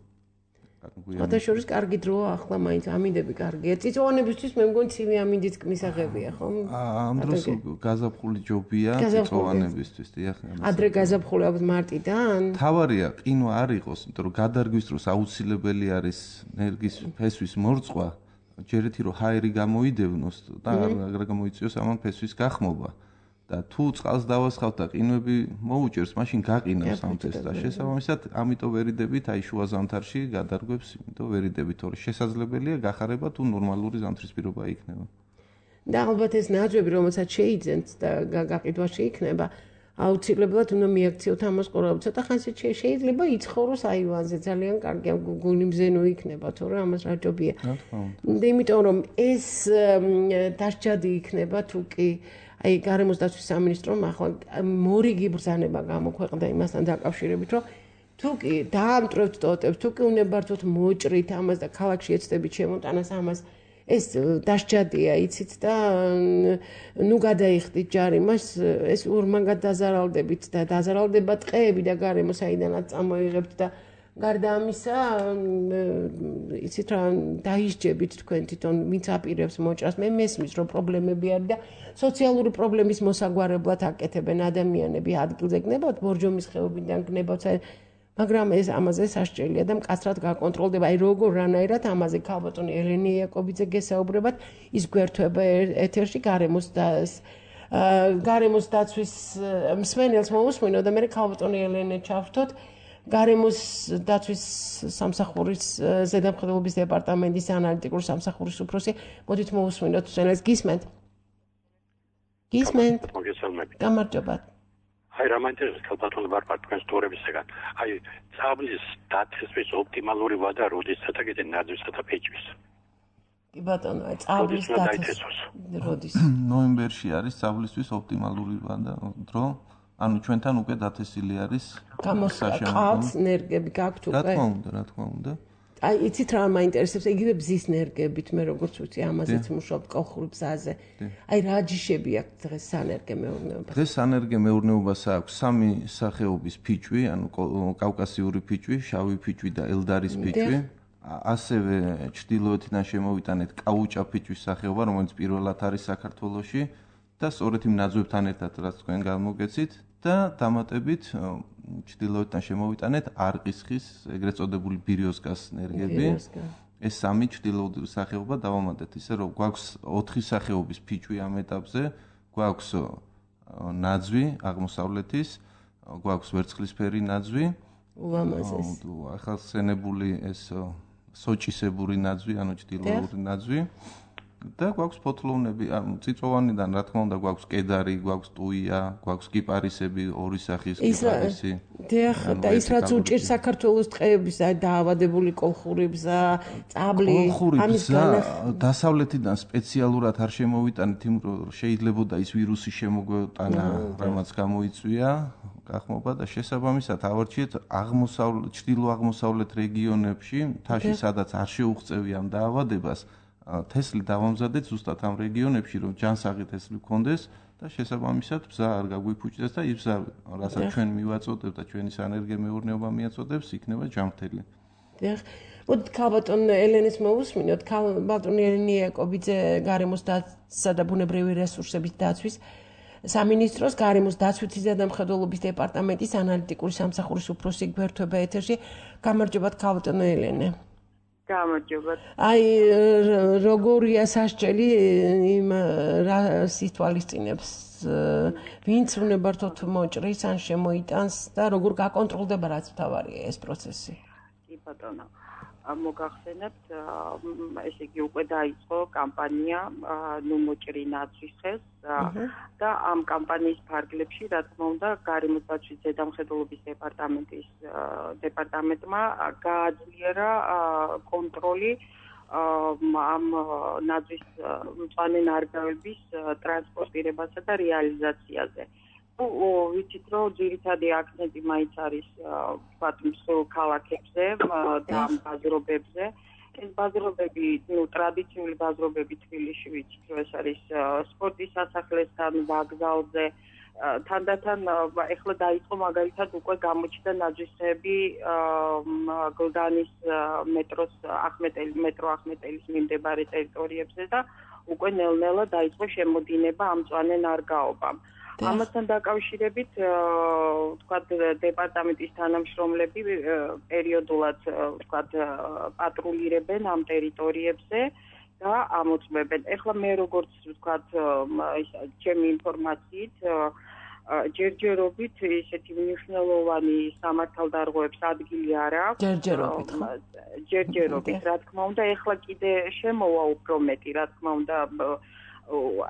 ფოტოშორის კარგი დროა ახლა მაინც ამინდები კარგია. წიწოვანებისთვის მე მგონი ცივი ამინდიც მისაღებია, ხო? ამ დროს გაზაფხული ჯობია წიწოვანებისთვის, დიახ. ადრე გაზაფხული ალბათ მარტიდან? თავარია ყინვა არ იყოს, იმიტომ რომ გადარგვის დროს აუცილებელი არის ნერგის ფესვის მორწვა. ჯერეთი რომ ჰაერი გამოიდევნოს და არ გამოიწვიოს ამან ფესვის გახმობა. და თუ წყალს დავასხავთ და ყინვები მოუჭერს, მაშინ გაყინავს ამ ფესს და შესაბამისად, ამიტომ ვერიდებით აი შუა ზამთარში გადარგვებს, იმიტომ ვერიდებით, თორე შესაძლებელია გახარება თუ ნორმალური ზამთრის პირობა იქნება. და ალბათ ეს ნაძვები, რომელსაც შეიძენთ და გაყიდვა შეიქნება, აუცილებლად უნდა მიაქციოთ ამას ყურადღება. ცოტა ხანს შეიძლება იცხოვროს აივანზე, ძალიან კარგი გული მზენო იქნება, თორე ამას რა ჯობია. იმიტომ რომ ეს დასჯადი იქნება თუ კი აი გარემოს დაცვის სამინისტრომ ახლა მორიგი ბრძანება გამოქვეყნდა იმასთან დაკავშირებით, რომ თუ კი დაამტვრევთ ტოტებს, თუ კი უნებართვოთ მოჭრით ამას და ქალაქში ეცდებით შემოტანას ამას, ეს დასჯადია, იცით და ნუ გადაიხდით ჯარიმას, ეს ორმაგად დაზარალდებით და დაზარალდება ტყეები და გარემო საიდანაც წამოიღებთ და გარდა ამისა, იცით რა, დაისჯებით თქვენ თვითონ ვინც აპირებს მოჭრას, მე მესმის რომ პრობლემები არის და სოციალური პრობლემის მოსაგვარებლად აკეთებენ ადამიანები ადგილზე გნებავთ, ბორჯომის ხეობიდან გნებავთ, მაგრამ ეს ამაზე სასჯელია და მკაცრად გაკონტროლდება. აი როგორ რანაირად ამაზე ქალბატონი ელენე იაკობიძე გესაუბრებათ, ის გვერდება ეთერში გარემოს დაცვის მსმენელს მოусმინო და მე ქალბატონი ელენე ჩავრთოთ გარემოს დაცვის სამსახურის ზედამხედველობის დეპარტამენტის ანალიტიკური სამსახურის უფროსი. მოდით მოусმინოთ სენელს გისმენთ. გისმენთ. გამარჯობათ. აი რა მაინტერესებს ქალბატონი ვარფარ თქვენს თორებისგან. აი წაბლის დაცვის ოპტიმალური ვადა როდესაც აკეთე ნაძვისა და ფეჭვის. კი ბატონო, აი წაბლის დაცვის როდის? ნოემბერში არის წაბლისთვის ოპტიმალური ვადა დრო. ანუ ჩვენთან უკვე დათესილი არის გამოსაკავთ ნერგები გაქვთ უკვე? რა თქმა უნდა. აი იცით რა მაინტერესებს, იგივე ბზის ნერგებით მე როგორც ვიცი, ამაზეც მუშაობ კოლხური ბზაზე. აი რა ჯიშები აქვს დღეს სანერგე მეურნეობას? დღეს სანერგე მეურნეობას აქვს სამი სახეობის ფიჭვი, ანუ კავკასიური ფიჭვი, შავი ფიჭვი და ელდარის ფიჭვი. ასევე ჩრდილოეთიდან შემოვიტანეთ კაუჭა ფიჭვის სახეობა, რომელიც პირველად არის საქართველოში და სწორედ იმ ნაძვებთან ერთად რაც თქვენ გამოგეცით და დამატებით ჩრდილოეთიდან შემოვიტანეთ არყისხის, ეგრეთ წოდებული ბირიოსკას ნერგები. ეს სამი ჩრდილოური სახეობა დავამატეთ ისე რომ გვაქვს 4 სახეობის ფიჭვი ამ ეტაპზე, გვაქვს ნაძვი აღმოსავლეთის, გვაქვს ვერცხლისფერი ნაძვი, ახალსენებული ეს სოჭისებური ნაძვი, ანუ ჩრდილოური ნაძვი. და გვაქვს ფოთლოვნები, წიწვოვანიდან რა თქმა უნდა გვაქვს კედარი, გვაქვს ტუია, გვაქვს კიპარისები, ორი სახის კიპარისი. და ის რაც უჭირს საქართველოს ტყეების, აი დაავადებული კოლხური ბზა, წაბლი, ამის დასავლეთიდან სპეციალურად არ შემოვიტანეთ, იმიტომ რომ შეიძლებოდა ის ვირუსი შემოგვეტანა, რამაც გამოიწვია გახმობა და შესაბამისად ავარჩიეთ ჩრდილო-აღმოსავლეთ რეგიონებში, მთაში სადაც არ შეუღწევია ამ დაავადებას. თესლი დავამზადეთ ზუსტად ამ რეგიონებში, რომ ჯანსაღი თესლი გქონდეს და შესაბამისად ბზა არ გაგვიფუჭდეს და ის ბზა, რასაც ჩვენ მივაწოდებთ და ჩვენი სანერგე მეურნეობა მიაწოდებს, იქნება ჯანმრთელი. დიახ. მოდით ქალბატონ ელენეს მოусმინოთ. ქალბატონი ელენე იაკობიძე გარემოს დაცვისა და ბუნებრივი რესურსების დაცვის სამინისტროს გარემოს დაცვითი ზედამხედველობის დეპარტამენტის ანალიტიკური სამსახურის უფროსი გვერდება ეთერში. გამარჯობათ ქალბატონო ელენე. გამარჯობათ. აი როგორია სასჯელი იმ რას ითვალისწინებს, ვინც უნებართვოდ მოჭრის ან შემოიტანს და როგორ გაკონტროლდება რაც მთავარია ეს პროცესი? კი ბატონო. მოგახსენებთ, ესე იგი უკვე დაიწყო კამპანია ნუ მოჭრი ნაცვის ხეს და ამ კამპანიის ფარგლებში, რა თქმა უნდა, გარემოს დაცვის ზედამხედველობის დეპარტამენტმა გააძლიერა კონტროლი ამ ნაცვის მწვანე ნარგავების ტრანსპორტირებასა და რეალიზაციაზე. ვიცით რომ ძირითადი აქცენტი მაინც არის ვთქვათ მსხვილ ქალაქებზე და ამ ბაზრობებზე. ეს ბაზრობები, ტრადიციული ბაზრობები თბილისში ვიცით რომ ეს არის სპორტის სასახლესთან, ვокзалზე, თანდათან ეხლა დაიწყო მაგალითად უკვე გამოჩნდა ნაძვისები გლდანის მეტრო ახმეტელის მიმდებარე ტერიტორიებზე და უკვე ნელ-ნელა დაიწყო შემოდინება ამ მწვანე ნარგაობამ. ამასთან დაკავშირებით, ვთქვათ, დეპარტამენტის თანამშრომლები პერიოდულად, ვთქვათ, პატრულირებენ ამ ტერიტორიებზე და ამოწმებენ. ეხლა მე როგორც ვთქვათ, ჩემი ინფორმაციით ჯერჯერობით ესეთი მნიშვნელოვანი სამართალდარღვევების ადგილი არ აქვს. ჯერჯერობით, რა თქმა უნდა, ეხლა კიდე შემოვა უფრო მეტი, რა თქმა უნდა,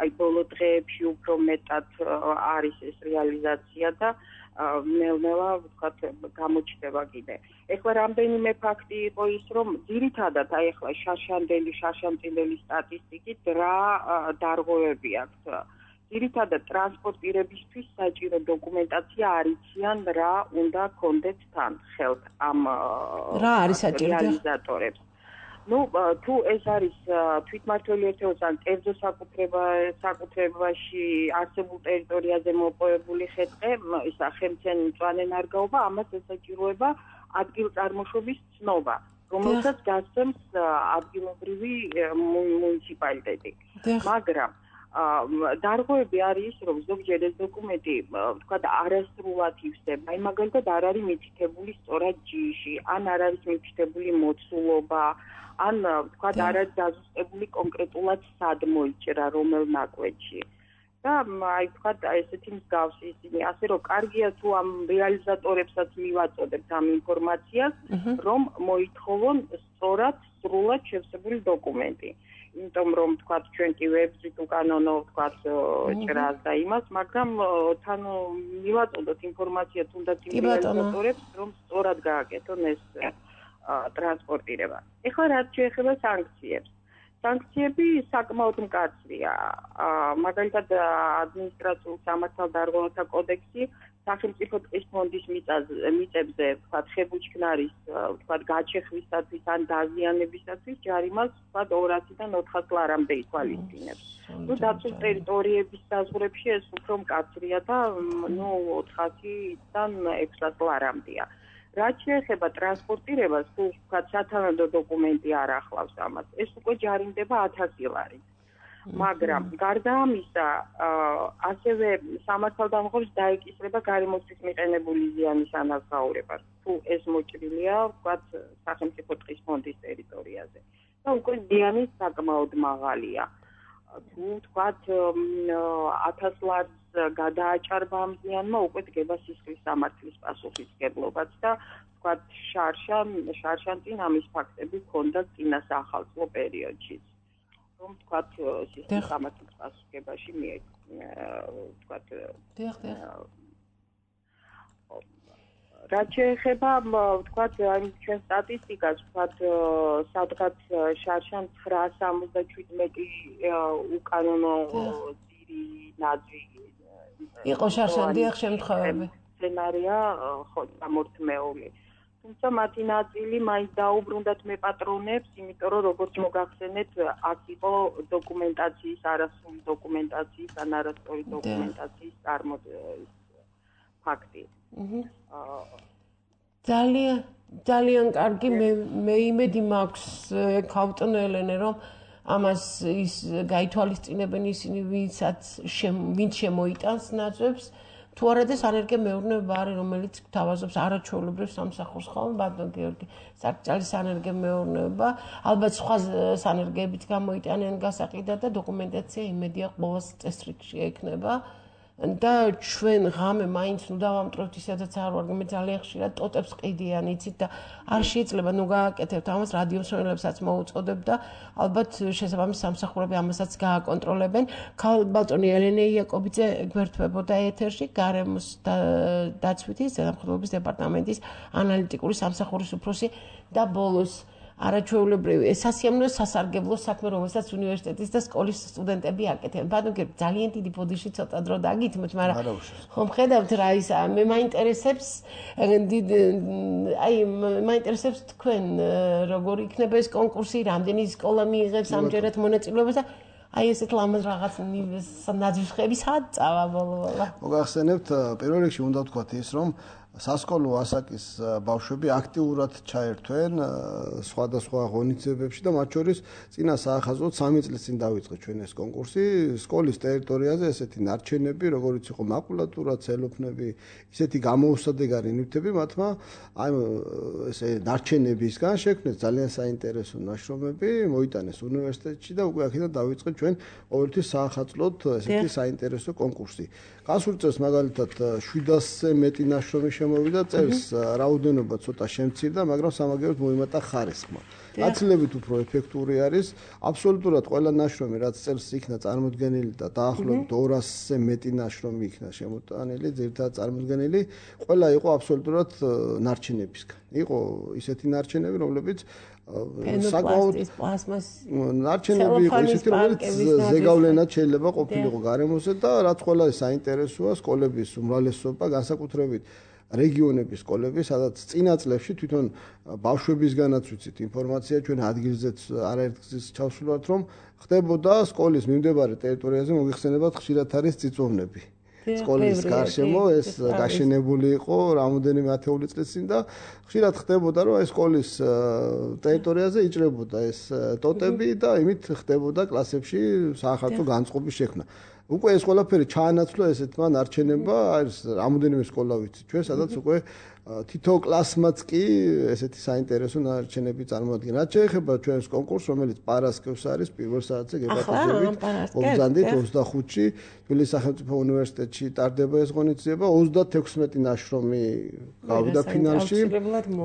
აი ბოლო დღეებში უფრო მეტად არის ეს რეალიზაცია და ნელ-ნელა ვთქვათ გამოჩნდება კიდე. ეხლა რამდენიმე ფაქტი იყო ის, რომ ძირითადად აი ეხლა შარშანტინდელი სტატისტიკით რა დარღვევები აქვს. ძირითადად ტრანსპორტირებისთვის საჭირო დოკუმენტაცია არ იციან რა უნდა კონდეთ თან ხელთ ამ რა არის საჭირო რეალიზატორებს. თუ ეს არის თვითმმართველი ერთეულს ან კერძო საკუთრებაში არსებულ ტერიტორიაზე მოპოვებული ხეთყე, ისა ხელმძღვანელი ნარგაობა, ამას ესაჭიროება ადგილწარმოშობის ცნობა, რომელსაც გასცემს ადგილობრივი მუნიციპალიტეტი. მაგრამ დარღვევები არის, რომ ზოგჯერ ეს დოკუმენტი, ვთქვათ, არასრულად ივსება. აი მაგალითად არ არის მითითებული სწორად ჯიში, ან არ არის მითითებული მოცულობა, ან ვთქვათ, არ არის დაზუსტებული კონკრეტულად სად მოიჭრა, რომელ ნაკვეთში. და აი ვთქვათ, ესეთი მსგავსი ისინი, ასე რომ კარგია თუ ამ რეალიზატორებსაც მივაწოდებთ ამ ინფორმაციას, რომ მოითხოვონ სწორად, სრულად შევსებული დოკუმენტი. იმიტომ რომ ვთქვათ, ჩვენ კი ვებზით უკანონო ვთქვათ ჭრას და იმას, მაგრამ თან მივაწოდოთ ინფორმაცია თუნდაც იმ რეალიზატორებს, რომ სწორად გააკეთონ ეს ტრანსპორტირება. ეხლა რაც შეეხება სანქციებს. სანქციები საკმაოდ მკაცრია. მაგალითად ადმინისტრაციულ სამართალდარღვევათა კოდექსი სახელმწიფო ტყის ფონდის მიწებზე, ვთქვათ, ხებუჩქნარის, ვთქვათ, გაჩეხვისათვის ან დაზიანებისათვის ჯარიმას, ვთქვათ, 200-დან 400 ლარამდე ითვალისწინებს. დაცულ ტერიტორიების საზღვრებში ეს უფრო მკაცრია და 400-დან 600 ლარამდეა. რაც შეეხება ტრანსპორტირებას, თუ ვთქვათ, სათანადო დოკუმენტი არ ახლავს ამას, ეს უკვე ჯარიმდება 1000 ლარით. მაგრამ გარდა ამისა, ასევე სამართალდამღებს დაეკისრება გარემოსთვის მიყენებული ზიანის ანაზღაურება, თუ ეს მოჭრილია, ვთქვათ, სახელმწიფო ტყის ფონდის ტერიტორიაზე. და უკვე ზიანი საკმაოდ მაღალია. თუ ვთქვათ, 1000 ლარს გადააჭარბა ამ ზიანმა, უკვე დგება სისხლის სამართლის პასუხისმგებლობაც და ვთქვათ, შარშანტინ ამის ფაქტები ჰქონდა წინა საახალწლო პერიოდშიც. რომ ვთქვათ, სისხლის სამართლის პასუხისმგებაში ვთქვათ, რაც შეეხება, ვთქვათ, ჩვენ სტატისტიკას, ვთქვათ, სადღაც შარშან 977 უკანონო ძირი ნაძვი იყო შარშანდიახ შემთხვევები. სცენარია ხო გამორთმეული. თუმცა მათი ნაწილი მაინც დაუბრუნდათ მეპატრონებს, იმიტომ რომ როგორც მოგახსენეთ, აქ იყო დოკუმენტაციის, არასრული დოკუმენტაციის ან არასწორი დოკუმენტაციის ფაქტი. ძალიან კარგი, მე იმედი მაქვს ქავტონო ელენე, რომ ამას ის გაითვალისწინებენ ისინი, ვინც შემოიტანს ნაძვებს, თუ არა და სანერგე-მეურნეობა არის, რომელიც გთავაზობს არაჩვეულებრივ სამსახურს ხოლმე, ბატონ გიორგი, სარკჭალის სანერგე-მეურნეობა, ალბათ სხვა სანერგეებიც გამოიტანენ გასაყიდად და დოკუმენტაცია იმედია ყოველს წესრიგში ექნება. და ჩვენ ღამე მაინც დავამტვრევთ ისედაც არ ვარ, მე ძალიან ხშირად ტოტებს ყიდიან, იცით და არ შეიძლება გააკეთებთ ამას, რადიო მსმენელებსაც მოუწოდებ და ალბათ შესაბამის სამსახურები ამასაც გააკონტროლებენ. ბატონი ელენე იაკობიძე გვერდთვებოდა ეთერში, გარემოს დაცვითი ზედამხედველობის დეპარტამენტის ანალიტიკური სამსახურის უფროსი და ბოლოს არაჩვეულებრივი სასიამოვნო სასარგებლო საქმე, რომელსაც უნივერსიტეტის და სკოლის სტუდენტები აკეთებენ. ბატონ გიორგი, ძალიან დიდი ბოდიში ცოტა დრო დაგითმოთ, მაგრამ ხომ ხედავთ რა ისა, მე მაინტერესებს მაინტერესებს თქვენ როგორ იქნება ეს კონკურსი, რამდენი სკოლა მიიღებს ამჯერად მონაწილეობას და აი ესეთ ლამაზ რაღაც ნაძვის ხები სად წავა ბოლო-ბოლო. მოგახსენებთ, პირველ რიგში უნდა ვთქვათ ის, რომ სასკოლო ასაკის ბავშვები აქტიურად ჩაერთვენ სხვადასხვა ღონისძიებებში და მათ შორის წინა საახალწლოდ 3 წლის წინ დაიწყო ჩვენ ეს კონკურსი სკოლის ტერიტორიაზე ესეთი ნარჩენები როგორიც იყო მაკულატურა, ცელოფნები, ისეთი გამოუსადეგარი ნივთები მათმა აი ესე ნარჩენებისგან შექმნეს ძალიან საინტერესო ნაშრომები, მოიტანეს უნივერსიტეტში და უკვე აქედან დაიწყო ჩვენ ყოველთვის საახალწლოდ ესეთი საინტერესო კონკურსი. გასულ წელს მაგალითად 700-ზე მეტი ნაშრომი შემოვიდა, წელს რაოდენობა ცოტა შემცირდა, მაგრამ სამაგიეროდ მოიმატა ხარისხმა. გაცილებით უფრო ეფექტური არის, აბსოლუტურად ყველა ნაშრომი, რაც წელს იქნა წარმოდგენილი და დაახლოებით 200-ზე მეტი ნაშრომი იქნა შემოტანილი, ძირითადად წარმოდგენილი, ყველა იყო აბსოლუტურად ნარჩენებისგან. იყო ისეთი ნარჩენები, რომლებიც საკმაოდ ნარჩენები იყო ისეთი, რომელიც ზეგავლენად შეიძლება ყოფილიყო გარემოზე და რაც ყველა საინტერესოა სკოლების უმრავლესობა, განსაკუთრებით რეგიონების სკოლები, სადაც წინა წლებში თვითონ ბავშვებისგანაც ვიცით ინფორმაცია, ჩვენ ადგილზეც არაერთგზის ჩავსვლათ, რომ ხდებოდა სკოლის მიმდებარე ტერიტორიაზე მოიხსენებათ ხშირად არის წიწვოვნები. სკოლის გარშემო ეს გაშენებული იყო რამოდენიმე ათეული წლის წინ და ხშირად ხდებოდა, რომ ეს სკოლის ტერიტორიაზე იჭრებოდა ეს ტოტები და იმით ხდებოდა კლასებში საახალწლო განწყობის შექმნა. უკვე ეს ყველაფერი ჩაანაცვლა ესეთმა ნარჩენებმა, არის რამოდენიმე სკოლა ვიცი ჩვენ, სადაც უკვე თითო კლასმაც კი ესეთი საინტერესო ნარჩენები წარმოადგენს. რაც შეეხება ჩვენს კონკურსს, რომელიც პარასკევს არის, პირველ საათზე გეპატიჟებით, მოგზანდით 25-ში თბილისის სახელმწიფო უნივერსიტეტში ტარდება ეს ღონისძიება, 36 ნაშრომი გავიდა ფინალში.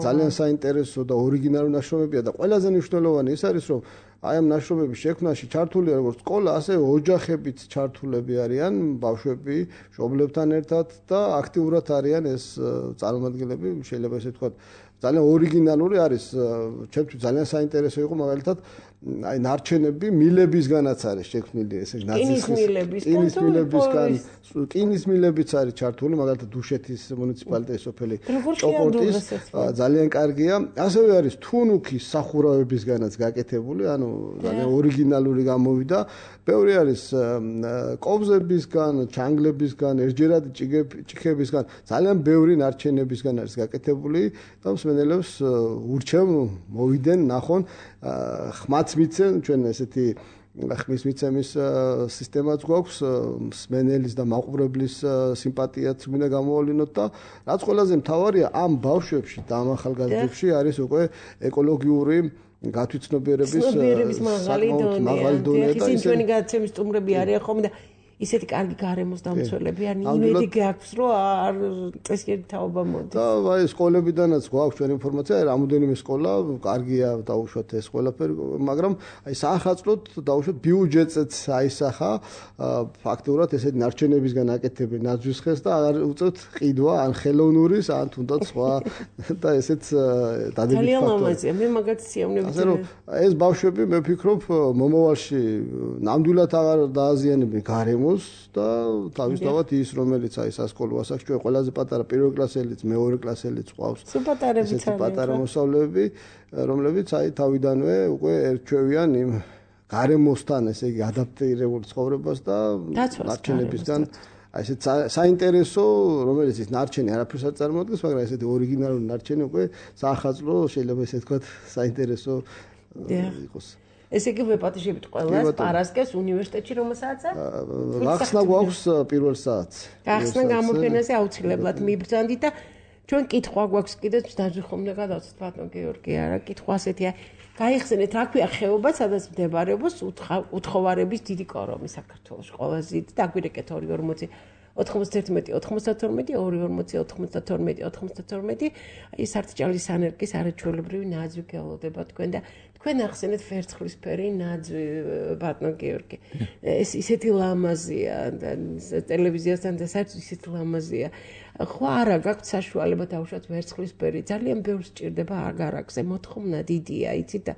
ძალიან საინტერესო და ორიგინალური ნაშრომებია და ყველაზე მნიშვნელოვანი ის არის, რომ აი ამ ნაშრომების შექმნაში ჩართულია როგორც სკოლა, ასევე ოჯახებიც ჩართულები არიან, ბავშვები, მშობლებთან ერთად და აქტიურად არიან ეს წარმომადგენლები, შეიძლება ესე ვთქვათ, ძალიან ორიგინალური არის, ჩემთვის ძალიან საინტერესო იყო მაგალითად აი ნარჩენები მილებისგანაც არის შექმნილი ესე კინის მილებიც არის ჩართული, მაგალითად დუშეთის მუნიციპალიტეტის სოფელი ჭოკორტის ძალიან კარგია, ასევე არის თუნუქის სახურავებისგანაც გაკეთებული, ანუ ძალიან ორიგინალური გამოვიდა, ბევრი არის კობზებისგან, ჩანგლებისგან, ერთჯერადი ჭიქებისგან, ძალიან ბევრი ნარჩენებისგან არის გაკეთებული და მსმენელებს ურჩევ მოვიდნენ, ნახონ ხმაც მიცემ ჩვენ ესეთი ხმის მიცემის სისტემაც გვაქვს მსმენელის და მაყურებლის სიმპათიაც მინდა გამოავლინოთ და რაც ყველაზე მთავარია ამ ბავშვებში და ამ ახალგაზრდებში არის უკვე ეკოლოგიური გათვითცნობიერების მაღალი დონე და ისინი ჩვენი გადაცემის სტუმრები არიან ხოლმე და ისეთი კარგი გარემოს დამცველები ან იმედი გაქვს რომ არ წესიერი თაობა მოდის. და აი სკოლებიდანაც გვაქვს ჩვენ ინფორმაცია, რამოდენიმე სკოლა კარგია დაუშვათ ეს ყველაფერი, მაგრამ აი საახალწლოდ დაუშვათ ბიუჯეტიც აისახა, ფაქტობრივად ესეთი ნარჩენებისგან აკეთებენ ნაძვის ხეს და არ უწევთ ყიდვა ან ხელოვნურის ან თუნდაც სხვა და ესეც დადებით ფაქტორია. ძალიან ლამაზია, მე მაგათი სიამოვნებით. ასე რომ ეს ბავშვები მე ვფიქრობ მომავალში ნამდვილად აღარ დააზიანებენ გარემოს და თავისთავად ის რომელიც აი სასკოლო ასაკში ჩვენ ყველაზე პატარა პირველ კლასელიც, მეორე კლასელიც ყავს. ესეთი პატარა მოსავლეები, რომლებიც აი თავიდანვე უკვე ერჩევიან იმ გარემოსთან, ესე იგი ადაპტირებულ ცხოვრებას და ნარჩენებისგან აი ესეთ საინტერესო, რომელიც ის ნარჩენი არაფერს არ წარმოადგენს, მაგრამ ესეთი ორიგინალური ნარჩენი უკვე საახალწლო შეიძლება ესე ვთქვათ საინტერესო იყოს. ესე იგი ვეპატიჟებით ყველას პარასკევს უნივერსიტეტში რომელსაც გახსნა გვაქვს პირველ საათს. გახსნა გამოფენაზე აუცილებლად მიბრძანდით და ჩვენ კითხვა გვაქვს კიდეც დაჟე ხომ გადავწყვეტ ბატონ გეორგი არა კითხვა ასეთია გაიხსენეთ რა ქვია ხეობა სადაც მდებარეობს უთხოვარების დიდი კორომი საქართველოს ყველაზე და დაგვირეკეთ 240 91 92 240 92 92 აი სარჭალის ანერგის არაჩვეულებრივი ნაძვი გელოდება თქვენ და თქვენ ახსენეთ ვერცხლისფერი ნაძვი ბატონ გეორგი ეს ისეთი ლამაზია და ტელევიზიასთან და საერთოდ ისეთი ლამაზია ხო არა გაქვთ საშუალება დავუშვათ ვერცხლისფერი ძალიან ბევრს ჭირდება აგარაკზე მოთხოვნა დიდია იცით და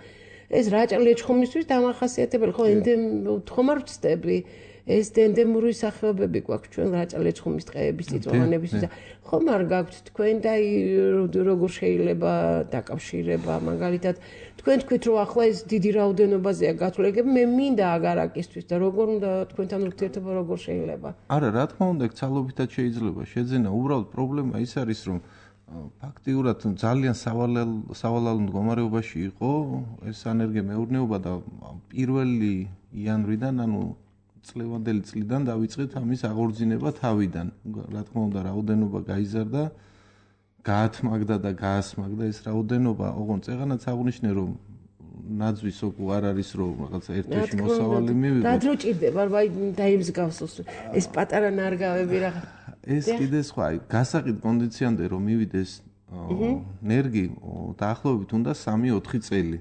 ეს რაჭა-ლეჩხუმისთვის დამახასიათებელი ხო თხომარ ვწდები ეს დენდემური სახეობები გვაქვს ჩვენ რაჭა-ლეჩხუმის ტყეების წიწვოვანების და ხომ არ გაქვთ თქვენ და როგორ შეიძლება დაკავშირება მაგალითად თქვენ თქვით რომ ახლა ეს დიდი რაოდენობაზეა გათვლილები მე მინდა აგარაკისთვის და როგორ უნდა თქვენთან ურთიერთობა როგორ შეიძლება არა რა თქმა უნდა ცალობითად შეიძლება შეძენა უბრალოდ პრობლემა ის არის რომ ფაქტიურად ძალიან სავალალო მდგომარეობაში იყო ეს ენერგიამეურნეობა და 1 იანვრიდან ანუ წლევანდელი წლიდან დავიწყეთ ამის აღორძინება თავიდან რა თქმა უნდა რაოდენობა გაიზარდა გაათმაგდა და გაასმაგდა ეს რაოდენობა ოღონდ წეღანაც აღნიშნე რომ ნაძვის ოკუ არ არის რომ რაღაცა ერთ-ერთი მოსავალი მივიღო რა დრო ჭირდება დაიმსგავსოს ეს პატარა ნარგავები რა ეს კიდე სხვა გასაყიდ კონდიციონამდე რომ მივიდეს ენერგი დაახლოებით უნდა 3-4 წელი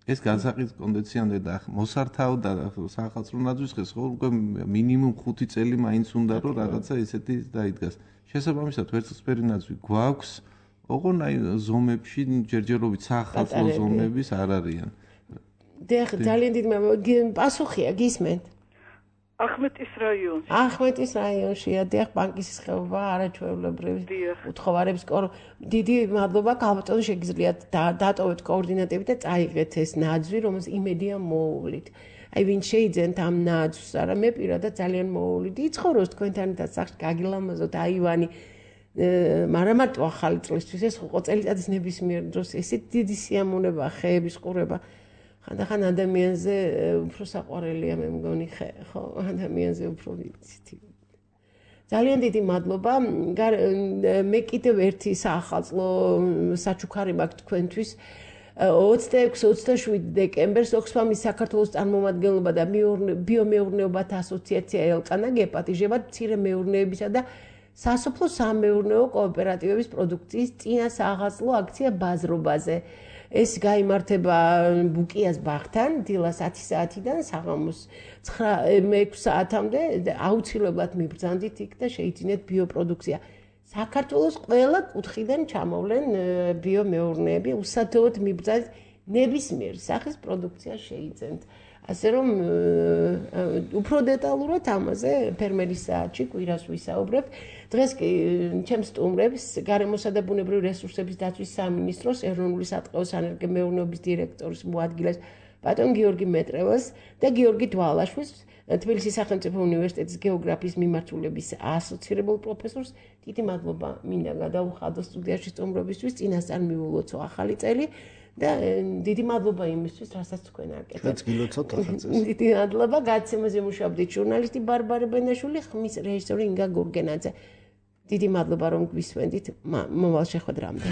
ეს გასაყიდ კონდიციონამდე და მოსართავ და სახალხო ნაძვის ხეს ხო უკვე მინიმუმ 5 წელი მაინც უნდა რომ რაღაცა ესეთი დაიდგას შესაბამისად ვერცხლისფერი ნაძვი გვაქვს ოღონ აი ზომებში ჯერჯერობით სახალხო ზომების არ არიან დიახ ძალიან დიდი პასუხია გისმენთ ახმეტის რაიონშია დიახ ბანკის ხეობა არაჩვეულებრივი უთხოვარებს დიდი მადლობა ქალბატონ შეგიძლიათ დატოვეთ კოორდინატები და წაიღეთ ეს ნაძვი რომელს იმედია მოუვლით აი ვინ შეიძენთ ამ ნაძვს არა მე პირადად ძალიან მოუვლით იცხოვროს თქვენთანაც სახში გაგილამაზოთ აივანი მაგრამ მარტო ახალი წლისთვის ეს ხო წელიწადის ნებისმიერ დროს ესეთ დიდი სიამოვნება ხეების ყურება ხანდახან ადამიანზე უფრო საყვარელია მე მგონი ხე ხო ადამიანზე უფრო ვიცით ძალიან დიდი მადლობა მე კიდევ ერთი საახალწლო საჩუქარი მაქვს თქვენთვის 26-27 დეკემბერს ოქსფამის საქართველოს წარმომადგენლობა და ბიომეურნეობათა ასოციაცია ელკანა გეპატიჟებათ მცირე მეურნეობისა და სასოფლო სამეურნეო კოოპერატივების პროდუქციის წინა საახალწლო აქცია ბაზრობაზე ეს გაიმართება ბუკიას ბაღთან დილას 10 საათიდან საღამოს 9 საათამდე აუცილებლად მიბრძანდით იქ და შეიძინეთ ბიოპროდუქცია საქართველოს ყველა კუთხიდან ჩამოვლენ ბიომეურნეები უსათოოდ მიბრძანდით ნებისმიერ სახის პროდუქცია შეიძენთ ასე რომ უფრო დეტალურად ამაზე ფერმერის საათში კვირას ვისაუბრებ დღეს კი ჩემს სტუმრებს გარემოსა და ბუნებრივი რესურსების დაცვის სამინისტროს ეროვნული სატყეო სანერგემეურნეობის დირექტორის მოადგილეს ბატონ გიორგი მეტრევას და გიორგი დვალაშვილს თბილისის სახელმწიფო უნივერსიტეტის გეოგრაფიის მიმართულების ასოცირებულ პროფესორს დიდი მადლობა მინდა გადავუხადო სტუდიაში სტუმრობისთვის წინასწარ მივულოცო ახალი წელი და დიდი მადლობა იმისთვის, რასაც თქვენ აკეთებთ. ჩვენც გილოცავთ ახალწელს. დიდი მადლობა გაცემაზე მუშაობდით ჟურნალისტი ბარბარე ბენაშვილი, ხმის რეჟისორი ინგა გურგენაძე. დიდი მადლობა რომ გვისმენდით მომავალ შეხვედრამდე.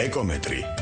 ეკომეტრი